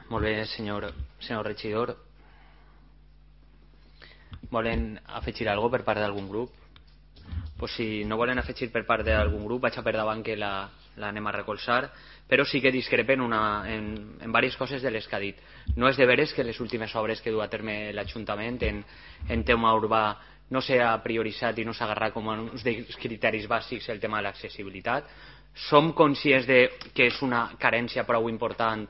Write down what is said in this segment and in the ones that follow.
Molt bé, senyor regidor. Volen afegir alguna cosa per part d'algun grup? Pues si no volen afegir per part d'algun grup, vaig a per davant que l'anem a recolzar, però sí que discrepen en diverses coses de les que ha dit. No és de veres que les últimes obres que du a terme l'Ajuntament en tema urbà no s'ha prioritzat i no s'ha agarrat com uns dels criteris bàsics el tema de l'accessibilitat. Som conscients que és una carència prou important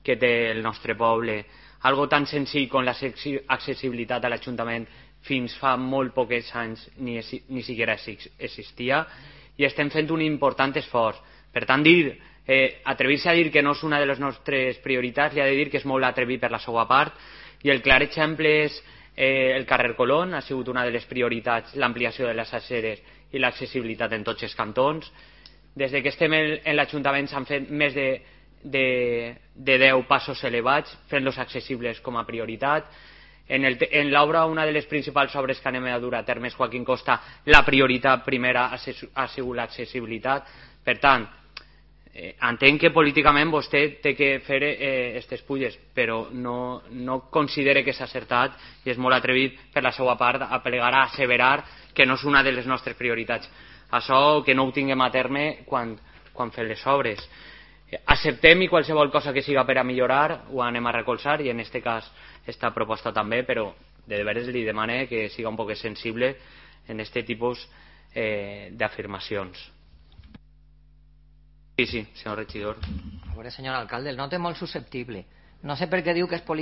que té el nostre poble, algo tan senzill com l'accessibilitat a l'Ajuntament fins fa molt pocs anys ni siquiera existia, i estem fent un important esforç. Per tant, atrevir-se a dir que no és una de les nostres prioritats, li ha de dir que és molt atrevit per la seva part, i el clar exemple és el carrer Colón. Ha sigut una de les prioritats l'ampliació de les aceres i l'accessibilitat en tots els cantons. Des que estem en l'Ajuntament s'han fet més de 10 passos elevats fent-los accessibles com a prioritat. En l'obra, una de les principals obres que anem a dur a terme és Joaquín Costa, la prioritat primera ha sigut l'accessibilitat. Per tant, entenc que políticament vostè té que fer aquestes pulles, però no considere que s'ha acertat, i és molt atrevit per la seva part a plegar a asseverar que no és una de les nostres prioritats. Això que no ho tinguem a terme quan fem les obres. Acceptem, i qualsevol cosa que siga per a millorar ho anem a recolzar, i en aquest cas esta proposta també, però de veres li demane que siga un poc sensible en aquest tipus d'afirmacions. Sí, senyor regidor. A veure, senyor alcalde, el note molt susceptible. No sé per què diu que és polític